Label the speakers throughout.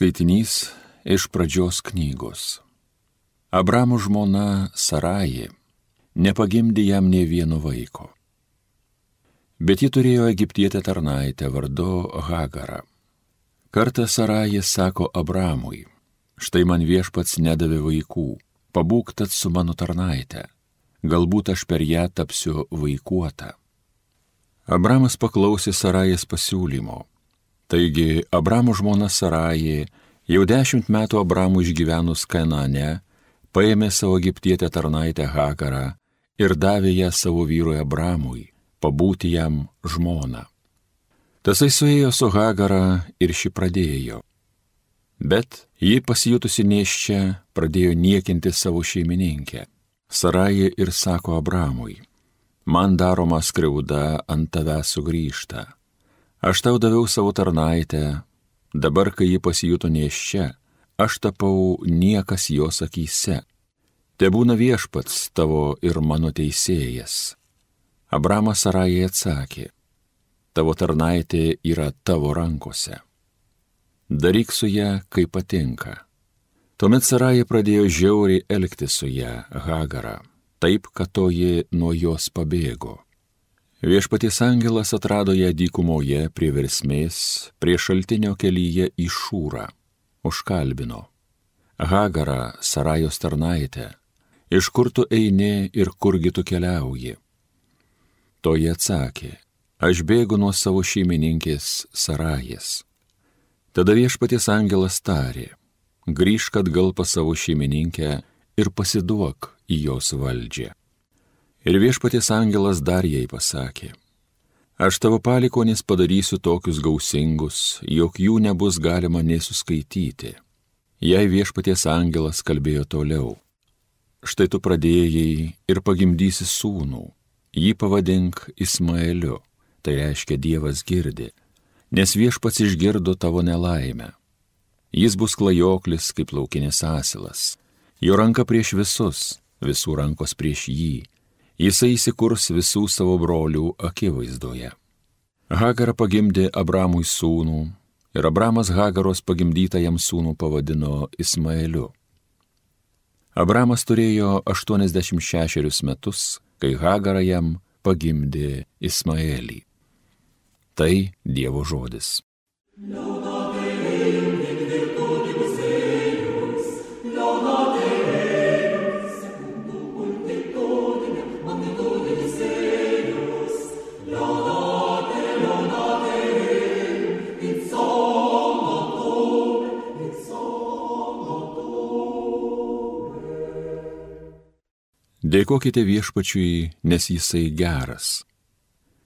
Speaker 1: Skaitinys iš Pradžios knygos. Abramo žmona Sarajė nepagimdė jam nė vieno vaiko. Bet ji turėjo egiptietę tarnaitę vardu Hagarą. Kartą Sarajė sako Abramui: štai man viešpats nedavė vaikų, pabūk tad su mano tarnaite, galbūt aš per ją tapsiu vaikuota. Abramas paklausė Sarajės pasiūlymo. Taigi Abramo žmona Sarajė jau 10 metų Abramui išgyvenus Kanaane paėmė savo egiptietę tarnaitę Hagarą ir davė ją savo vyrui Abramui, pabūti jam žmona. Tasai suėjo su Hagara ir ši pradėjo. Bet ji pasijutusi nėščia pradėjo niekinti savo šeimininkę. Sarajė ir sako Abramui: man daroma skriauda ant tavęs sugrįžta. Aš tau daviau savo tarnaitę, dabar, kai ji pasijuto nėščia, aš tapau niekas jos akyse. Tebūna viešpats tavo ir mano teisėjas. Abramas Sarajai atsakė: tavo tarnaitė yra tavo rankose. Daryk su ją, kaip patinka. Tuomet Sarajai pradėjo žiauriai elgtis su ją, Hagarą, taip, kad toji nuo jos pabėgo. Viešpaties angelas atrado ją dykumoje prie versmės, prie šaltinio kelyje į Šūrą. Užkalbino: Hagarą, Sarajos tarnaitę, iš kur tu eini ir kurgi tu keliauji? Toji atsakė: aš bėgu nuo savo šeimininkės Sarajės. Tada viešpaties angelas tarė: grįžk atgal pas savo šeimininkę ir pasiduok į jos valdžią. Ir viešpaties angelas dar jai pasakė: aš tavo palikonis padarysiu tokius gausingus, jog jų nebus galima nė suskaityti. Jei viešpaties angelas kalbėjo toliau: štai tu pradėjai ir pagimdysi sūnų, jį pavadink Ismaeliu, tai reiškia Dievas girdi, nes viešpats išgirdo tavo nelaimę. Jis bus klajoklis kaip laukinis asilas, jo ranka prieš visus, visų rankos prieš jį, jisai įsikurs visų savo brolių akivaizdoje. Hagara pagimdė Abramui sūnų ir Abramas Hagaros pagimdytą jam sūnų pavadino Ismaeliu. Abramas turėjo 86 metus, kai Hagara jam pagimdė Ismaelį. Tai Dievo žodis. Dėkokite viešpačiui, nes jisai geras.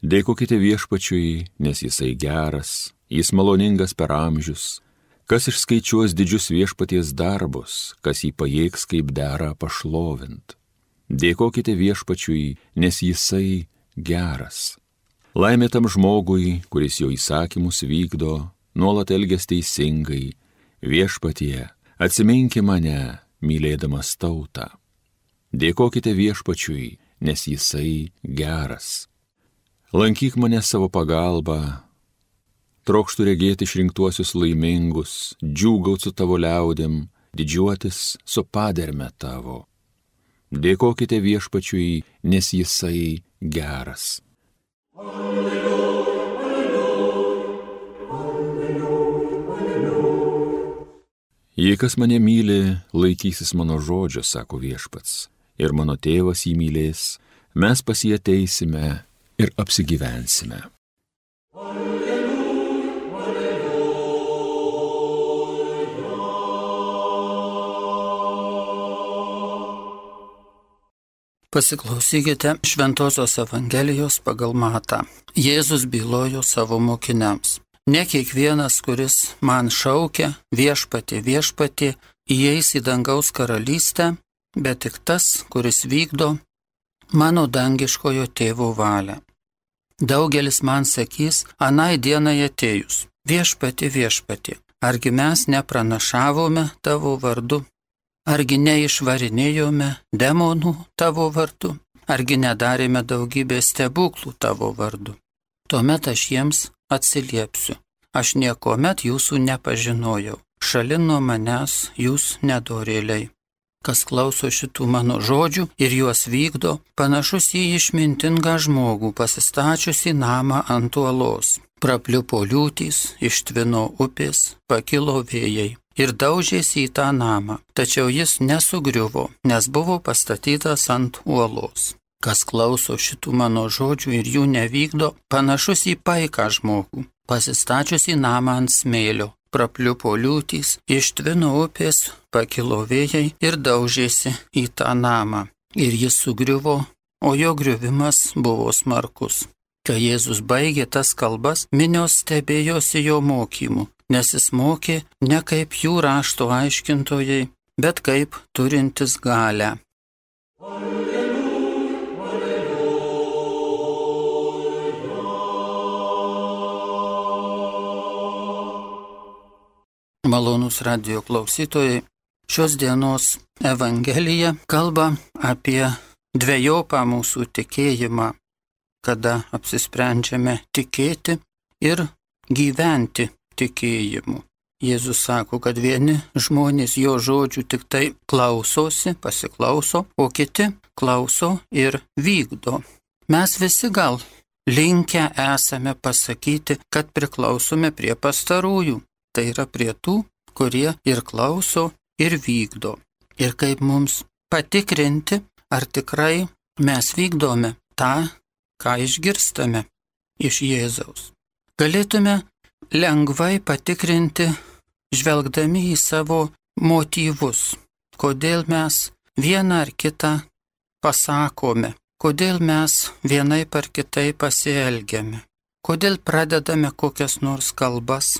Speaker 1: Dėkokite viešpačiui, nes jisai geras, jis maloningas per amžius. Kas išskaičiuos didžius viešpaties darbus, kas jį pajėgs kaip dera pašlovint. Dėkokite viešpačiui, nes jisai geras. Laimė tam žmogui, kuris jo įsakymus vykdo, nuolat elgias teisingai. Viešpatie, atsiminki mane, mylėdamas tautą. Dėkokite viešpačiui, nes jisai geras. Lankyk mane savo pagalba, trokštų regėti išrinktuosius laimingus, džiūgaut su tavo liaudėm, didžiuotis su paderme tavo. Dėkokite viešpačiui, nes jisai geras. Alleluja, alleluja, alleluja, alleluja. Jei kas mane myli, laikysis mano žodžio, sako viešpats, ir mano tėvas jį mylės, mes pas jį ateisime ir apsigyvensime. Alleluja, alleluja.
Speaker 2: Pasiklausykite Šventosios Evangelijos pagal Matą. Jėzus bylojo savo mokiniams: ne kiekvienas, kuris man šaukia viešpatie, viešpatie, įeis į dangaus karalystę, bet tik tas, kuris vykdo mano dangiškojo tėvo valią. Daugelis man sakys anai dienai atėjus: viešpatie, viešpatie, argi mes nepranašavome tavo vardu, argi neišvarinėjome demonų tavo vardu, argi nedarėme daugybę stebuklų tavo vardu. Tuomet aš jiems atsiliepsiu: aš niekuomet jūsų nepažinojau. šalin nuo manęs, jūs nedorėliai. Kas klauso šitų mano žodžių ir juos vykdo, panašus į išmintingą žmogų, pasistačiusi namą ant uolos. Prapliupo liūtys, ištvino upės, pakilo vėjai ir daužėsi į tą namą, tačiau jis nesugriuvo, nes buvo pastatytas ant uolos. Kas klauso šitų mano žodžių ir jų nevykdo, panašus į paiką žmogų, pasistačiusi namą ant smėlio. Prapliupo liūtys, ištvino upės, pakilo vėjai ir daužėsi į tą namą. Ir jis sugriuvo, o jo griuvimas buvo smarkus. Kai Jėzus baigė tas kalbas, minios stebėjosi jo mokymu, nes jis mokė ne kaip jų rašto aiškintojai, bet kaip turintis galią. Malonūs radijo klausytojai, šios dienos Evangelija kalba apie dvejopą mūsų tikėjimą, kada apsisprendžiame tikėti ir gyventi tikėjimu. Jėzus sako, kad vieni žmonės jo žodžių tik tai klausosi, pasiklauso, o kiti klauso ir vykdo. Mes visi gal linkę esame pasakyti, kad priklausome prie pastarųjų. Tai yra prie tų, kurie ir klauso, ir vykdo. Ir kaip mums patikrinti, ar tikrai mes vykdome tą, ką išgirstame iš Jėzaus. Galėtume lengvai patikrinti, žvelgdami į savo motyvus, kodėl mes vieną ar kitą pasakome, kodėl mes vienaip ar kitaip pasielgiame, kodėl pradedame kokias nors kalbas,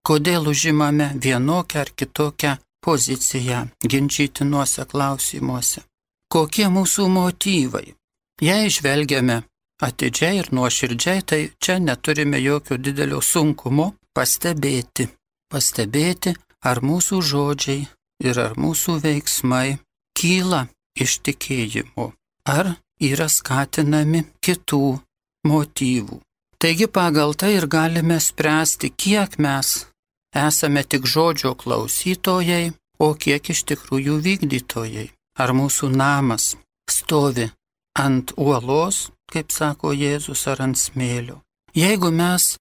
Speaker 2: kodėl užimame vienokią ar kitokią poziciją ginčytinuose klausimuose. Kokie mūsų motyvai? Jei žvelgiame atidžiai ir nuoširdžiai, tai čia neturime jokio didelio sunkumo pastebėti. Pastebėti, ar mūsų žodžiai ir ar mūsų veiksmai kyla iš tikėjimo, ar yra skatinami kitų motyvų. Taigi pagal tai ir galime spręsti, kiek mes esame tik žodžio klausytojai, o kiek iš tikrųjų vykdytojai. Ar mūsų namas stovi ant uolos, kaip sako Jėzus, ar ant smėlio. Jeigu mes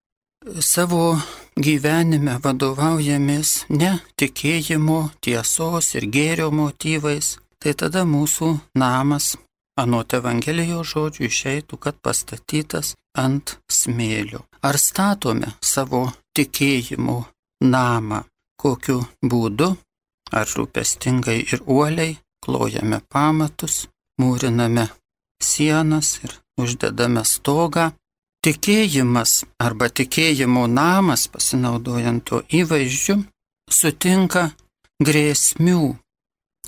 Speaker 2: savo gyvenime vadovaujamės ne tikėjimo, tiesos ir gėrio motyvais, tai tada mūsų namas, anot Evangelijos žodžių, išeitų, kad pastatytas ant smėlio. Ar statome savo tikėjimo namą, kokiu būdu, ar rūpestingai ir uoliai klojame pamatus, mūriname sienas ir uždedame stogą. Tikėjimas arba tikėjimo namas, pasinaudojant to įvaizdžiu, sutinka grėsmių.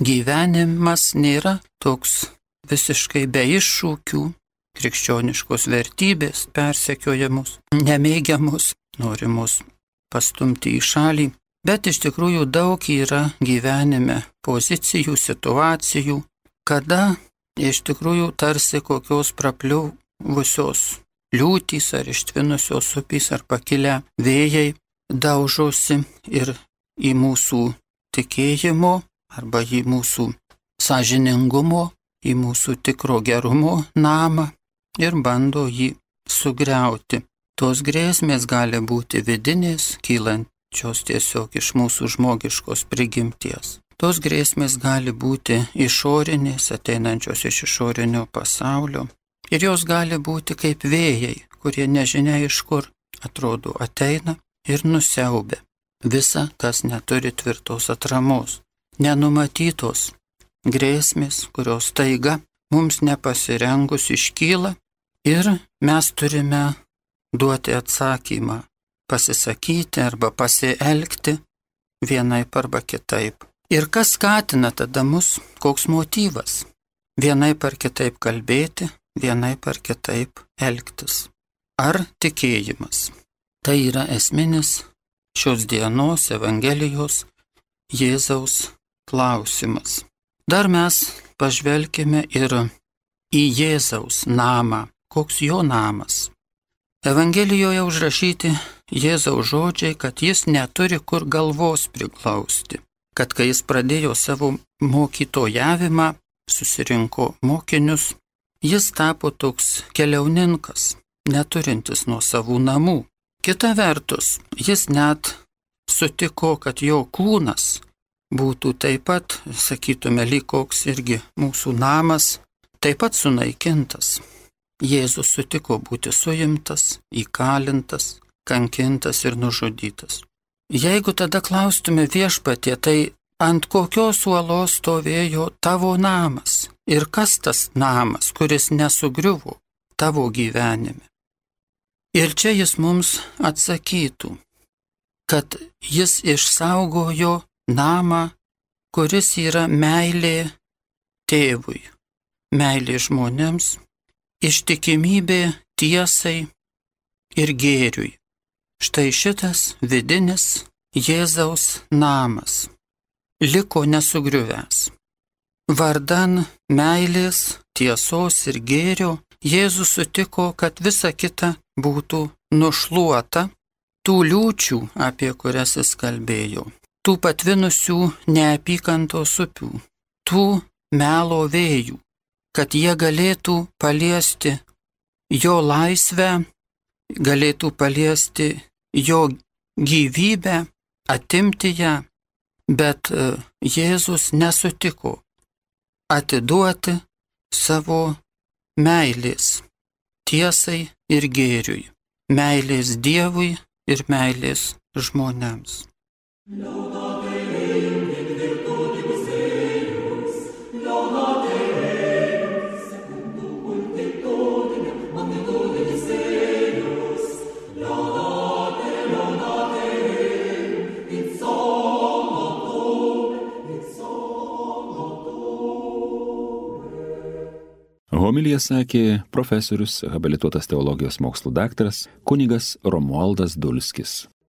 Speaker 2: Gyvenimas nėra toks visiškai be iššūkių, krikščioniškos vertybės persekiojamus, nemėgiamus, norimus pastumti į šalį, bet iš tikrųjų daug yra gyvenime pozicijų, situacijų, kada iš tikrųjų tarsi kokios prapliuvusios liūtys ar ištvinusios upės ar pakilę vėjai daužosi ir į mūsų tikėjimo arba į mūsų sąžiningumo, į mūsų tikro gerumo namą ir bando jį sugriauti. Tos grėsmės gali būti vidinės, kylančios tiesiog iš mūsų žmogiškos prigimties. Tos grėsmės gali būti išorinės, ateinančios iš išorinio pasaulio. Ir jos gali būti kaip vėjai, kurie nežinia iš kur atrodo ateina ir nusiaubia visa, kas neturi tvirtos atramos. Nenumatytos grėsmės, kurios taiga mums nepasirengus iškyla ir mes turime duoti atsakymą, pasisakyti arba pasielgti vienaip arba kitaip. Ir kas skatina tada mus, koks motyvas? Vienaip ar kitaip kalbėti, vienaip ar kitaip elgtis. Ar tikėjimas? Tai yra esminis šios dienos Evangelijos Jėzaus klausimas. Dar mes pažvelkime ir į Jėzaus namą. Koks jo namas? Evangelijoje užrašyti Jėzaus žodžiai, kad jis neturi kur galvos priglausti, kad kai jis pradėjo savo mokytojavimą, susirinko mokinius, jis tapo toks keliauninkas, neturintis nuo savų namų. Kita vertus, jis net sutiko, kad jo kūnas būtų taip pat, sakytume, lyg koks irgi mūsų namas, taip pat sunaikintas. Jėzus sutiko būti suimtas, įkalintas, kankintas ir nužudytas. Jeigu tada klaustume Viešpatie, tai ant kokios uolos stovėjo tavo namas ir kas tas namas, kuris nesugriuvo tavo gyvenime? Ir čia jis mums atsakytų, kad jis išsaugojo namą, kuris yra meilė tėvui, meilė žmonėms, ištikimybė tiesai ir gėriui. Štai šitas vidinis Jėzaus namas liko nesugriuvęs. Vardan meilės, tiesos ir gėrio Jėzus sutiko, kad visa kita būtų nušluota tų liūčių, apie kurias jis kalbėjo, tų patvinusių neapykantos upių, tų melo vėjų, kad jie galėtų paliesti jo laisvę, galėtų paliesti jo gyvybę, atimti ją, bet Jėzus nesutiko atiduoti savo meilės tiesai ir gėriui, meilės Dievui ir meilės žmonėms.
Speaker 1: Homiliją sakė profesorius, habilituotas teologijos mokslų daktaras kunigas Romualdas Dulskis.